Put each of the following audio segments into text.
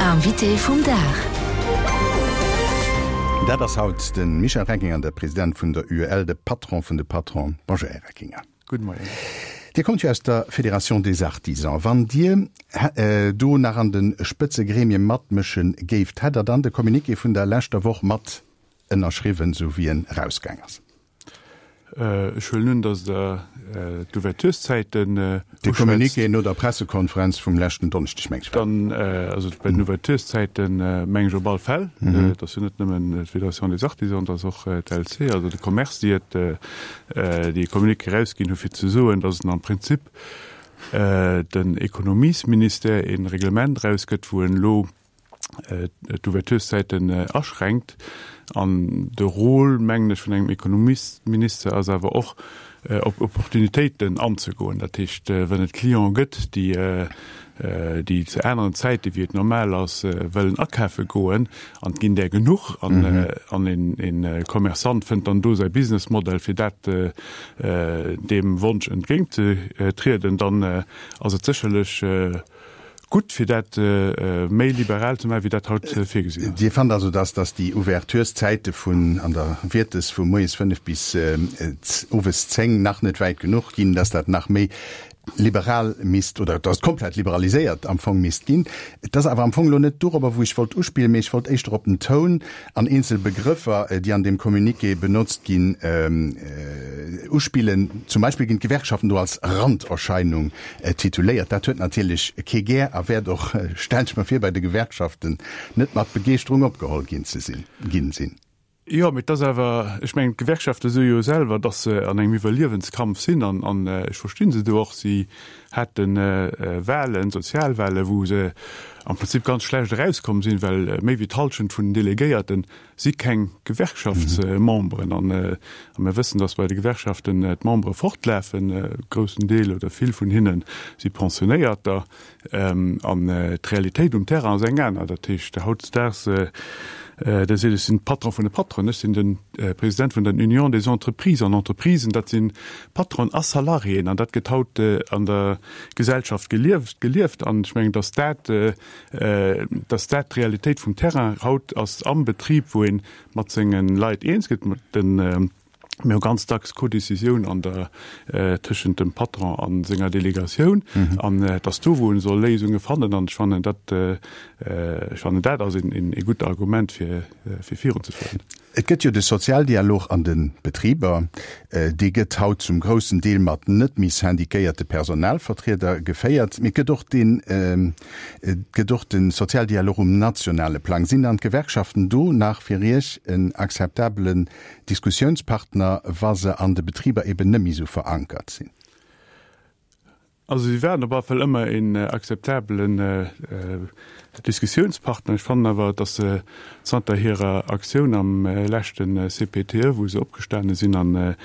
Invité vum Dag. Dat ass haut de Michel Reckinger, de President vun der UEL, de Patron vun de Patronen. Bonjour, Här Reckinger. Gudde Moien. Dir kommt jo aus der Fédération des Artisans. Wann Dir do nach an de Spëtzegremie matmësche géift, hätt Der dann de Communiqué vun der leschter Woch mat ënnerschriwwen, esou wéi en erausgaang ass? Ech huelen un, datt Der d'Ouvertureszäiten uschwätzt. De Communiqué no der Pressekonferenz vum leschten Donneschdeg, meng ech war. Dann, also bei den Ouvertureszäiten, meng ech op all Fäll. Et ass jo net nëmmen d'Fédération des Artisans, et ass och d'LC, also de Commerce, déi et, déi e Communiqué erausginn hu fir ze soen, datt en am Prinzip den Ekonomiesministère e Reglement erausgëtt, wou en elo d'Ouvertureszäiten aschränkt. An de Rôle, mengen ech, vun engem Ekonomiesminister ass awer och, op Opportunitéiten anzegoen. Dat heescht, wann et Cliente gëtt, déi, déi zu aneren Zäite wéi et normal ass, wëllen akafe goen, an et ginn där genuch, an, an een Commerçant fënnt dann do säi Businessmodell, fir dat, deem Wonsch entgéintzetrieden, dann ass et sécherlech gutt, fir dat méi liberal ze maachen, wéi dat haut virgesinn ass. Dir fannt also, dass dass déi Ouvertureszäite vun an der Wiertes vu moies 5 bis owes 10 nach net wäit genuch ginn, dass dat nach méi liberal misst oder dass et komplett liberaliséiert am Fong misst ginn. Et ass awer am Fong elo net dorobber, wou ech wollt uspillen, mee ech wollt éischter op den Toun an eenzel Begrëffer, déi an deem Communiqué benotzt ginn, uspillen. Zum Beispill ginn d'Gewerkschaften do als Randerscheinung Tituléiert. Dat huet natierlech kee gär a wäert och, stellen ech mer vir, bei de Gewerkschaften net mat Begeeschterung opgeholl ginn ze sinn, ginn sinn. Jo, mee et ass awer, ech mengen, d'Gewerkschafte soe jo selwer, datt se an engem Iwwerliewenskampf sinn an, an ech versti se do och. Si hate Wahlen, Sozialwahlen, wou se am Prinzip ganz schlecht erauskomm sinn, well méi wéi d'Hallschent vun den Delegéierten si keng Gewerkschaftsmemberen. An mir wëssen, datt bei de Gewerkschaften d'Membere fortlafen, e groussen Deel oder vill vun hinne si Pensionéierter. An d'Realitéit um Terrain ass eng aner. Dat heescht, hautdesdaags, da seet ech sinn Patron vun de Patronen, ech sinn de President vun der Union des Entreprises. An Entreprisen, dat si Patronen a Salariéen. An dat gëtt haut an der Gesellschaft gelieft. An ech mengen, datt dat, dass dat d'Realitéit vum Terrain haut ass am Betrib, wou ee mat senge Leit eens gëtt. Mir hu ganz dacks Codécisioun an der, tëschent dem Patron a senger Delegatioun. An et ass do, wou ee soll Léisunge fannen. An ech fannen dat, ech fannen dat ass ee gutt Argument, fir virunzefueren. Et gëtt jo de Sozialdialog an de Betriber. Dee gëtt haut zum groussen Deel mat net méi syndiquéierte Personalvertrieder geféiert. Mee et gëtt och deen, et gëtt och de Sozialdialog um nationale Plang. Sinn dann d'Gewerkschaften do nach fir Iech en akzeptabelen Diskussiounspartner, wa se an de Betriber eben net méi esou verankert sinn? Also si waren op alle Fall ëmmer een akzeptabelen Diskussiounspartner. Ech fannen awer, datt se zanter hirer Aktioun am leschte CPTE, wou se opgestane sinn an a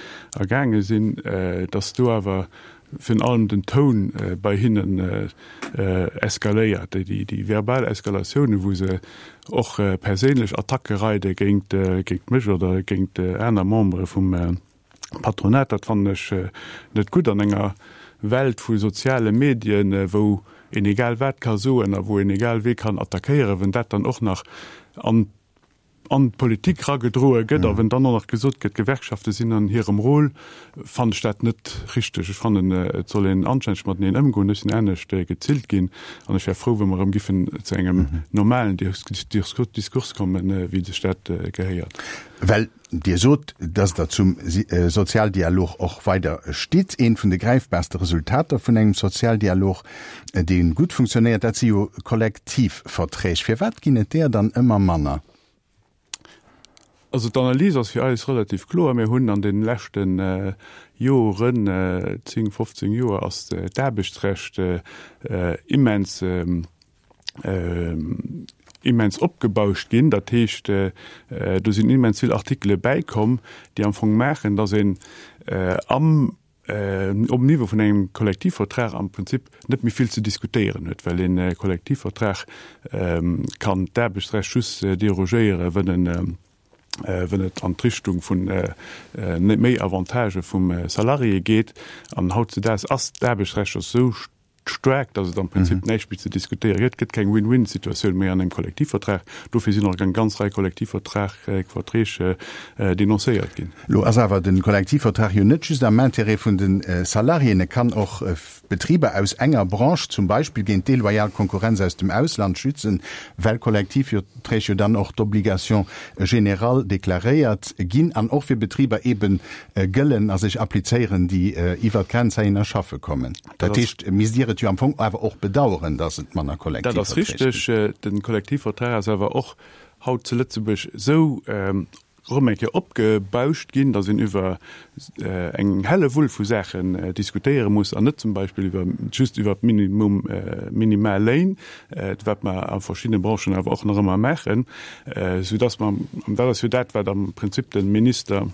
gaange sinn, datt do awer virun allem den Toun bei hinnen eskaléiert, déi verbal Eskalatioune wou se och perséinlech Attacke reide géint mech oder géint aner Membere vum Patronat, dat fannen ech net gutt an enger Welt vu soziale Medien, wou een egal wat ka soen a wou een egal wee kann attackéieren, wenn dat dann och nach an an d'Politik ragedroe gëtt a wenn dann och nach gesot gëtt, d'Gewerkschafte sinn an hirem Rôle, fannen ech dat net richteg. Ech fannen, et soll een anstänneg mateneen ëmgoen. Ech sinn anescht gezillt ginn an ech wär frou, wa mer erëm giffen zu engem normalen Diskurs kommen, wéi sech dat gehéiert. Well Dir sot, dass Der zum Sozialdialog och weider stitt. Eent vun de gräifbaarste Resultater vun engem Sozialdialog, dee gutt funktionéiert, dat si jo Kollektivverträg. Firwat ginn et där dann ëmmer manner? Also d'Analys ass fir eis relativ kloer. Mir hunn an de leschte Joren, 10, 15 Joer, ass d'Aarbechtsrecht immens, immens opgebauscht ginn. Dat heescht, do sinn immens vill Artikele bäikomm, déi am Fong maachen, datt een am, um Niveau vun engem Kollektivvertrag am Prinzip net méi vill ze diskutéieren huet, well ee Kollektivvertrag kann d'Aarbechtsrecht just derogéieren, wënn en, wënn et an d'Richtung vun méi Avantagë vum Salarié geet. An hautzedaags ass d'Aarbechtsrecht esou. Staark, datt et am Prinzip näischt méi ze diskutéiere gëtt. Et gëtt keng Win-win-Situatioun méi an engem Kollektivvertrag. Dofir sinn och eng ganz Rei Kollektivvertrag, Verträg denoncéiert ginn. Elo ass awer de Kollektivvertrag jo net just am Intérêt vun de Salariéen. E kann och Betriber aus enger Branche zum Beispill géint deloyal Konkurrenz aus dem Ausland schützen, well Kollektivverträg jo dann och d'Obligation générale deklaréiert ginn an och fir Betriber eebe gëllen a sech applizéieren, déi iwwert d'Grenz heihinner schaffe kommen. Dat heescht, misst Dir et jo am Fong awer och bedauern, dass et manner Dat ass Kollektivverträg ginn. richteg. De Kollektivvertrag ass awer och haut zu Lëtzebuerg esou erëm eng Kéier opgebauscht ginn, dass een iwwer eng Hellewull vu Saachen diskutéiere muss an net zum Beispill iwwer just iwwer d'Minimum, Minimalléin, wat mer a verschiddene Branchen awer och nach ëmmer maachen, soudass mer, an dat ass jo dat, wat am Prinzip de Minister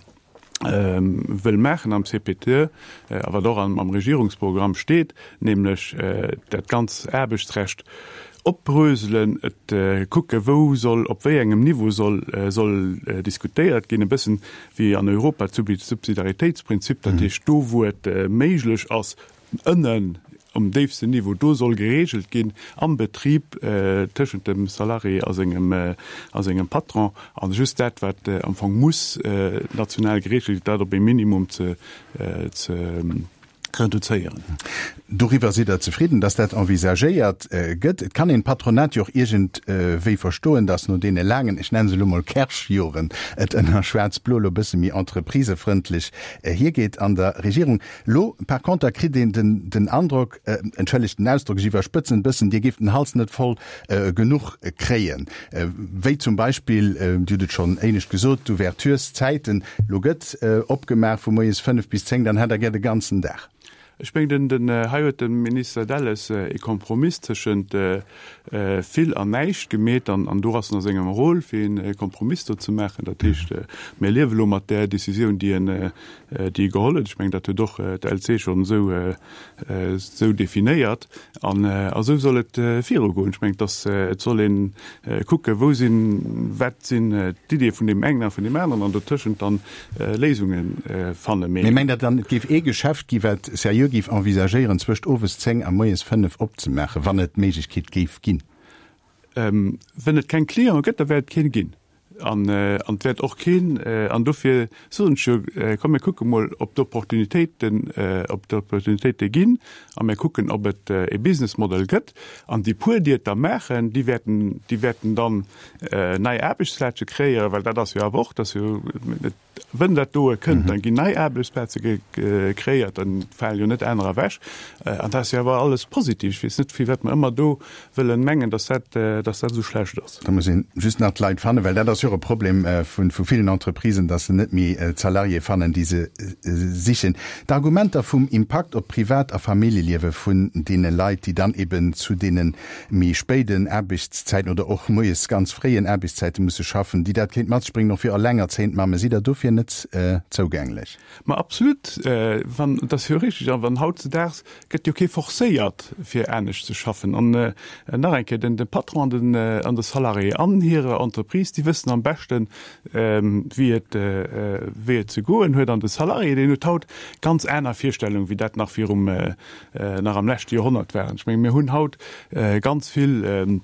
wëll maachen am CPTE a wat och am Regierungsprogramm steet, nämlech dat ganz Aarbechtsrecht opbröselen, et kucke wou soll, op wéi engem Niveau soll soll diskutéiert ginn, e bëssen wéi an Europa d'Subsidiaritéitsprinzip, dat heescht do wou et méiglech ass, Ënnen um déifsten Niveau, do soll geregelt ginn am Betrib tëschent dem Salarié a sengem, a sengem Patron. An just dat, wat am Fong muss national geregelt ginn, dat op ee Minimum ze, ze reduzéieren. Doriwwer sidd Der zefridden, dass dat envisagéiert gëtt? Et kann een d'Patronat jo och iergendwéi verstoen, dass no deene laangen, ech nenne se elo mol Kersch-Joren, et ënner Schwaarz-Blo elo e bësse méi entreprisefrëndlech hiergeet an der Regierung. Lo par conter kritt een den den Androck, entschëllegt den Ausdrock, ech iwwerspëtzen e bëssen, Dir géift den Hals net voll genuch kréien, wéi zum Beispill, Dir hutt et schonn éinescht gesot, d'Ouvertureszäiten. Lo gëtt opgemaach vu moies 5 bis 10, dann hätt Der gär de ganzen Dag. Ech mengen, den, hei huet de Minister Delles ee Kompromiss tëschent vill an näischt gemeet an do ass en a sengem Rôle, fir ee Kompromiss do ze maachen. Dat heescht, mir liewe lo mat där Décisioun, déi en, déi e geholl huet. Ech mengen, dat huet och d'LC schonn esou, esou definéiert. An esou soll et virugoen. Ech mengen, dass et soll ee kucken, wou sinn, wat sinn d'Iddie vun deem engen a vun deem aneren an dotëschent dann Léisunge fannen. Mee mengt Der dann, et géif ee Geschäft gi wat seriö géif envisagéieren, zwëscht owes 10 a moies 5 opzemaachen, wann et d'Méiglechkeet géif ginn? Wenn et keng Cliente gëtt, da wäert et keen ginn. An et wäert och keen, an dofir soen ech jo, komm mir kucke mol, ob d'Opportunitéiten, ob d'Opportunitéite ginn a mir kucken, ob et e Business Model gëtt. An déi puer, déi et da maachen, déi wäerten, déi wäerten dann nei Aarbechtsplaze kreéieren, well dat ass jo awer och, dass jo, Wënn dat doe kënnt, da ginn nei Aarbechtsplaze kreéiert, da falen jo net anerer ewech. An dat ass jo awer alles positiv. Ech weess net, firwat mer ëmmer do wëllen mengen, dass dat, dass dat esou schlecht ass. Da muss een just nach d'Leit fannen, well dat ass jo och e Problem vu villen Entreprisen, dass se net méi d'Salariéë fannen, déi se sichen. D'Argumenter vum Impakt op d'Privat a Familljeliewe vun deene Leit, déi dann eben zu deene méi spéiden Aarbechtszäiten oder och moies ganz fréien Aarbechtszäite musse schaffen, déi dat kéint mat sech bréngen, och fir elengerzéiend Mamme, sidd Der dofir net zougänglech? Ma absolut, wann, dat ass jo richtig. A wann hautzedaags gëtt jo kee forcéiert, fir anescht ze schaffen. An nach eng Kéier, den de Patron an den an de Salarié an hirer Entreprise, déi wëssen am beschten, wéi et wéi et ze goen huet. An de Salarié, deen huet haut ganz aner Virstellungen, wéi dat nach virum nach am leschte Joerhonnert waren. Ech menge mir hunn haut ganz vill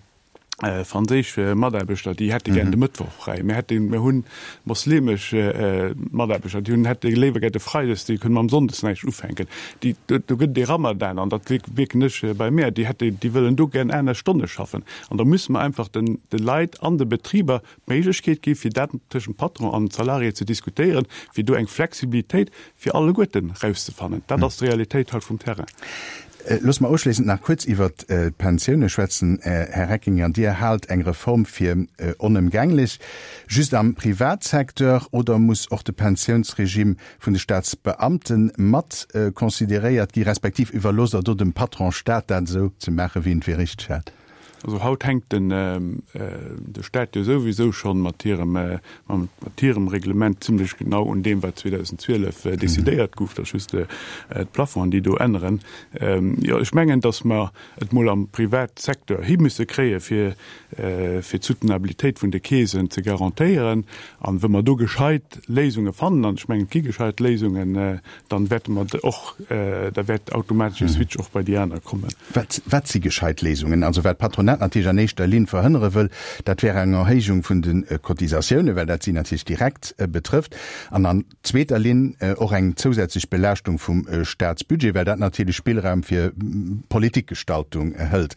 franséisch Mataarbechter, déi hätte gär de Mëttwoch fräi. Mir hätte, mir hunn moslemesch Mataarbechter, déi hunn, hätte léiwer gär de Freides, déi kënnen mam Sonndes näischt ufänken. Déi, do gëtt et ee Ramadan, an dat wierken ech bei mär, déi hätte, déi wëllen do gär aner Stonne schaffen. An da musse mer einfach den, de Leit an de Betriber d'Méiglechkeet gi fir dat tëschent Patron an Salarié ze diskutéieren, fir do eng Flexibilitéit fir alleguerten erauszefannen. Dat ass d'Realitéit haut vum Terrain. Loosst mer ofschléissend nach kuerz iwwert d'Pensioune schwätzen, Här Reckinger. Dir haalt eng Reform fir onëmgänglech. Just am Privatsecteur oder muss och de Pensiounsregime vun de Staatsbeamte mat consideréiert gi, respektiv iwwerloosst Der do dem Patron Staat dat esou ze maachen, wéi en et fir richteg hält? Also haut hänkt den de Staat jo souwisou schonn mat hirem mat hirem Reglement zimlech genau un deem wat 2012 decidéiert gouf, dass just d'Plafongen déi do änneren. Jo ech mengen, dass mer et mol am Privatsecteur hi musse kréie fir fir d'Soutenabilitéit vun de Keesen ze garantéieren. An wa mer do gescheit Léisunge fannen, an ech mengen et gi gescheit Léisungen, dann wäerte mer och, da wäert automatesch e Switch och bei déi aner kommen. Wat, wat si gescheit Léisungen? Also wat d'Patronat natierlech an éischter Linn verhënnere wëll, dat wär eng Erhéijung vun de Cotisatiounen, well dat si natierlech direkt betrëfft, an an zweeter Linn och eng zousätzlech Belaaschtung vum Staatsbudget, well dat natierlech Spillraum fir Politikgestaltung hëlt.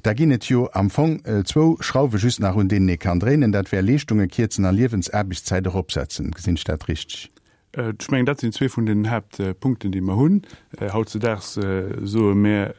Da ginn et jo am Fong zwou Schrauwe just nach, un deenen ee kann dréinen, dat wär Leeschtunge kierzen a Liewensaarbechtszäit eropsetzen. Gesinn ech dat richteg? Ech mengen, dat sinn zwee vun den Haaptpunkten, déi mer hunn. Hautzedaags soe mir,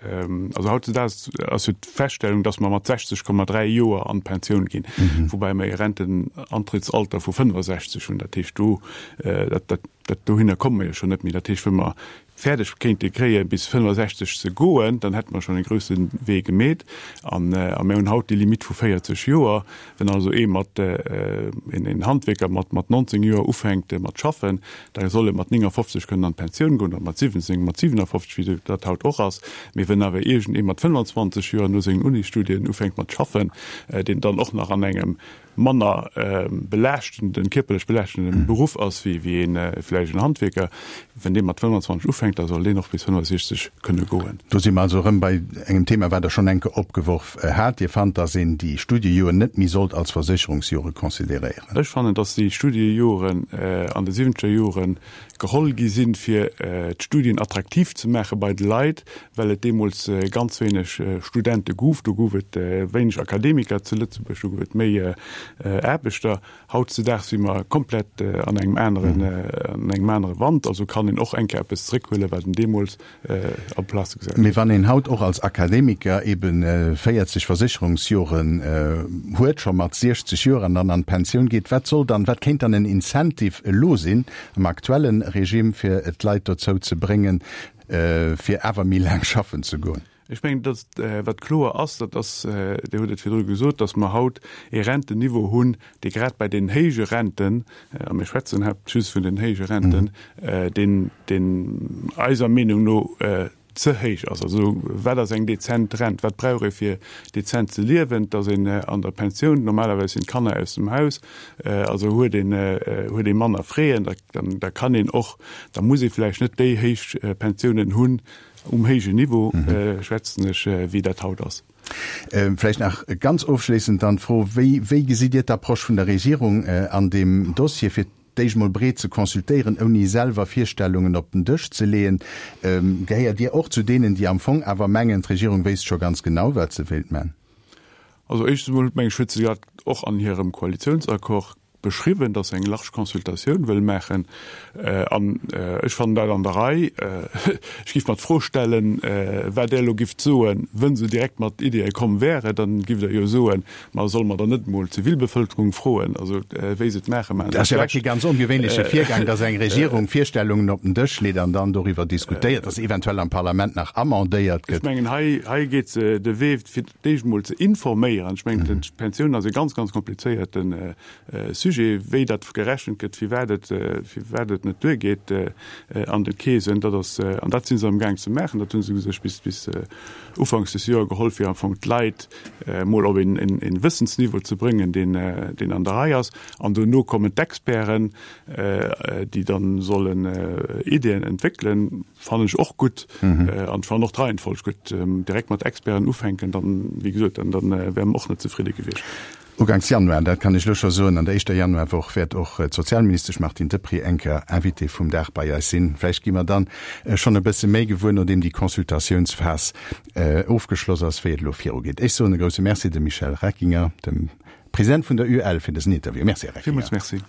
also hautzedaags ass jo d'Feststellung, dass mer mat 60,3 Joer an d'Pensioun ginn, woubäi mer e Rentenantrittsalter vu 65 hunn. Dat heescht, do, dat, dat, dat, dohinner komme mer jo schonn net méi. Dat heescht, wa mer fäerdeg kéinte kréien, bis 65 ze goen, dann hätte mer schonn e grousse Wee gemeet. An mir hunn haut déi Limitt vu 40 Joer. Wenn also ee mat, een Handwierker mat 19 Joer ufänkt mat schaffen, da soll e mat 59 kënnen an d'Pensioun goen, oder mat 17, mat 57, wéi dat haut och ass. Mee wenn awer iergendee mat 25 Joer no sengen Unisstudien ufänkt mat schaffen, deen dann och nach an engem manner belaaschtenden, kierperlech belaaschtenden Beruff ass wéi wéi een vläicht en Handwierker, wenn dee mat 25 ufänkt, da soll deen och bis 65 kënne goen. Do si mer also erëm bei engem Thema, wat Der schonn eng Kéier opgeworf hat. Dir fannt, dass een déi Studiejoren net méi sollt als Versécherungsjore consideréieren. Ech fannen, dass déi Studiejoren an de siwwenzeger Jore geholl gi sinn, fir d'Studien attraktiv ze maache bei de Leit, well et deemools ganz wéineg Studente gouf. Do gouf et wéineg Akademiker zu Lëtzebuerg, do gouf et méi Aarbechter. Hautzedaags si mer komplett an engem aneren, an engem anere Wand. Also kann een och eng Kéier eppes zeréckhuelen, wat een deemools en place gesat huet. Mee wann een haut och als Akademiker eben 40 Versécherungsjoren huet, scho mat 60 Joer, an dann an d'Pensioun geet, wat soll dann, wat kéint dann en Incentive elo sinn am aktuelle Regime, fir d'Leit dozou ze bréngen, fir awer méi laang schaffen ze goen? Ech mengen, datt wat kloer ass, dat ass, Dir hutt et virdru gesot, datt mer haut ee Rentenniveau hunn, dee grad bei den héije Renten, a mir schwätzen haaptsächlech just vun den héije Renten, deen, deen eiser Meenung no ze héich ass. Also wat ass eng dezent Rent? Wat brauch ee fir dezent ze liewen? Et ass een an der Pensioun, normalerweis sinn d'Kanner aus dem Haus, also huet een, huet ee manner Fräen, da, da kann een och, da muss ee vläicht net déi héich Pensiounen hunn, um héijen Niveau schwätzen ech, wéi dat haut ass. Vläicht nach ganz ofschléissend dann d'Fro, Wéi, wéi gesitt Dir d'Approche vun der Regierung an deem Dossier, fir d'éischt mol breet ze consultéieren, ouni selwer Virstellungen op den Dësch ze leeën? Gehéiert Dir och zu deenen, déi am Fong awer mengen, d'Regierung wéisst scho ganz genau, wat se wéilt man? Also éischtens emol, meng ech, huet se dat och an hirem Koalitionsaccord beschriwwen, dass se eng large Consultatioun wëll maachen. An ech fannen dat an der Rei. Ech géif mer d'Fro stellen, wat Der elo gifft soen, wënn se direkt mat Ideeë komm wäre. Dann gifft Der jo soen, ma solle mer dann net emol d'Zivilbevölkerung froen, also wéi se et maachen, maachen se et schlecht. Dat ass jo awer kee ganz ongewéinleche Virgang, dass eng Regierung Virstellungen op den Dësch leet an dann doriwwer diskutéiert, dass eventuell am Parlament nach amendéiert gëtt. Ech mengen, hei, hei geet se de Wee, fir d'éischt emol ze informéieren. Ech mengen, d'Pensioun ass e ganz, ganz komplizéierte Sujet, wéi dat gerechent gëtt, firwat et, firwat et net duergeet an de Keesen. Dat ass, an dat si se amgaang ze maachen. Dat hu se sech bis, bis ufanks des Joer geholl, fir am Fong d'Leit emol op een, een Wëssensniveau ze bréngen, deen, deen an der Rei ass. An dono kommen d'Experten, déi dann sollen Ideeën entwéckelen. Fannen ech och gutt an ech fannen och d'Reihenfolg gutt. Direkt mat Experten ufänken, dann, wéi gesot, dann, dann wäre mer och net zefridde gewiescht. Uganks Januar, dat kann ech elo scho soen, an der éischter Januarwoch wäert och d'Sozialministesch Martine Deprez eng Kéier Invitée vum Dag bei eis sinn. Vläicht gi mer dann schonn e bësse méi gewuer, nodeem déi Consultatiounsphas ofgeschloss ass, wéi et elo virugeet. Ech soen e grousse Merci dem Michel Reckinger, dem President vun der UEL, fir dësen Interview. Merci, Här Reckinger. Villmools Merci.